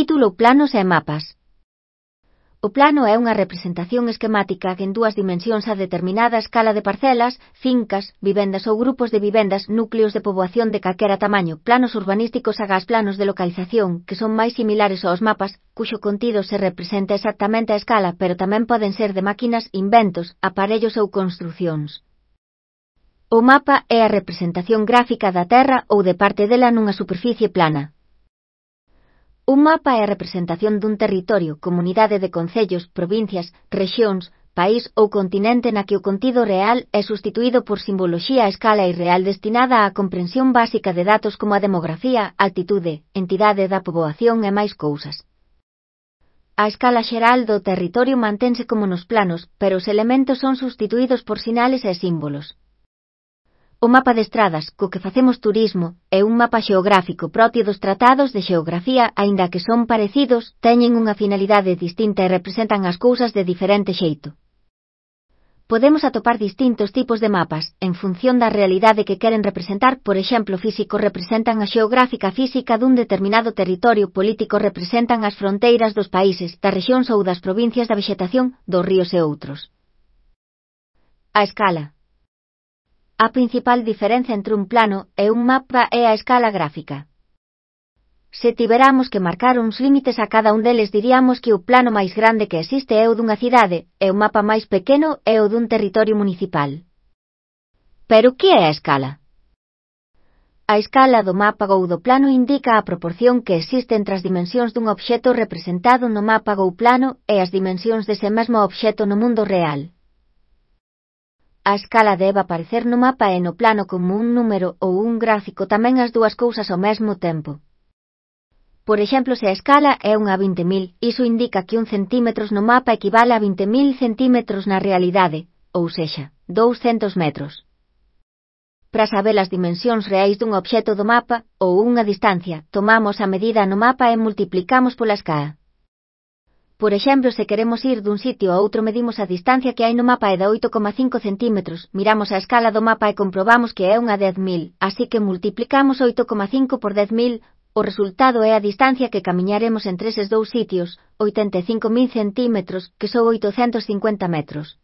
Título: Planos e mapas. O plano é unha representación esquemática en dúas dimensións a determinada escala de parcelas, fincas, vivendas ou grupos de vivendas, núcleos de poboación de calquera tamaño, planos urbanísticos agás planos de localización, que son máis similares aos mapas, cuxo contido se representa exactamente a escala, pero tamén poden ser de máquinas, inventos, aparellos ou construcións. O mapa é a representación gráfica da Terra ou de parte dela nunha superficie plana. Un mapa é a representación dun territorio, comunidade de concellos, provincias, rexións, país ou continente na que o contido real é substituído por simboloxía a escala irreal destinada á comprensión básica de datos como a demografía, altitude, entidade da poboación e máis cousas. A escala xeral do territorio mantense como nos planos, pero os elementos son substituídos por sinales e símbolos. O mapa de estradas, co que facemos turismo, é un mapa xeográfico propio dos tratados de xeografía, aínda que son parecidos, teñen unha finalidade distinta e representan as cousas de diferente xeito. Podemos atopar distintos tipos de mapas, en función da realidade que queren representar. Por exemplo, físicos representan a xeográfica física dun determinado territorio, políticos representan as fronteiras dos países, das rexións ou das provincias, da vexetación, dos ríos e outros. A escala. A principal diferenza entre un plano e un mapa é a escala gráfica. Se tiveramos que marcar uns límites a cada un deles, diríamos que o plano máis grande que existe é o dunha cidade, e o mapa máis pequeno é o dun territorio municipal. Pero que é a escala? A escala do mapa ou do plano indica a proporción que existe entre as dimensións dun obxecto representado no mapa ou plano e as dimensións dese mesmo obxecto no mundo real. A escala debe aparecer no mapa e no plano como un número ou un gráfico, tamén as dúas cousas ao mesmo tempo. Por exemplo, se a escala é unha 20.000, iso indica que 1 centímetros no mapa equivale a 20.000 centímetros na realidade, ou sexa, 200 metros. Para saber as dimensións reais dun obxecto do mapa, ou unha distancia, tomamos a medida no mapa e multiplicamos pola escala. Por exemplo, se queremos ir dun sitio a outro, medimos a distancia que hai no mapa e da 8,5 centímetros, miramos a escala do mapa e comprobamos que é unha 10.000, así que multiplicamos 8,5 por 10.000, o resultado é a distancia que camiñaremos entre eses dous sitios, 85.000 centímetros, que son 850 metros.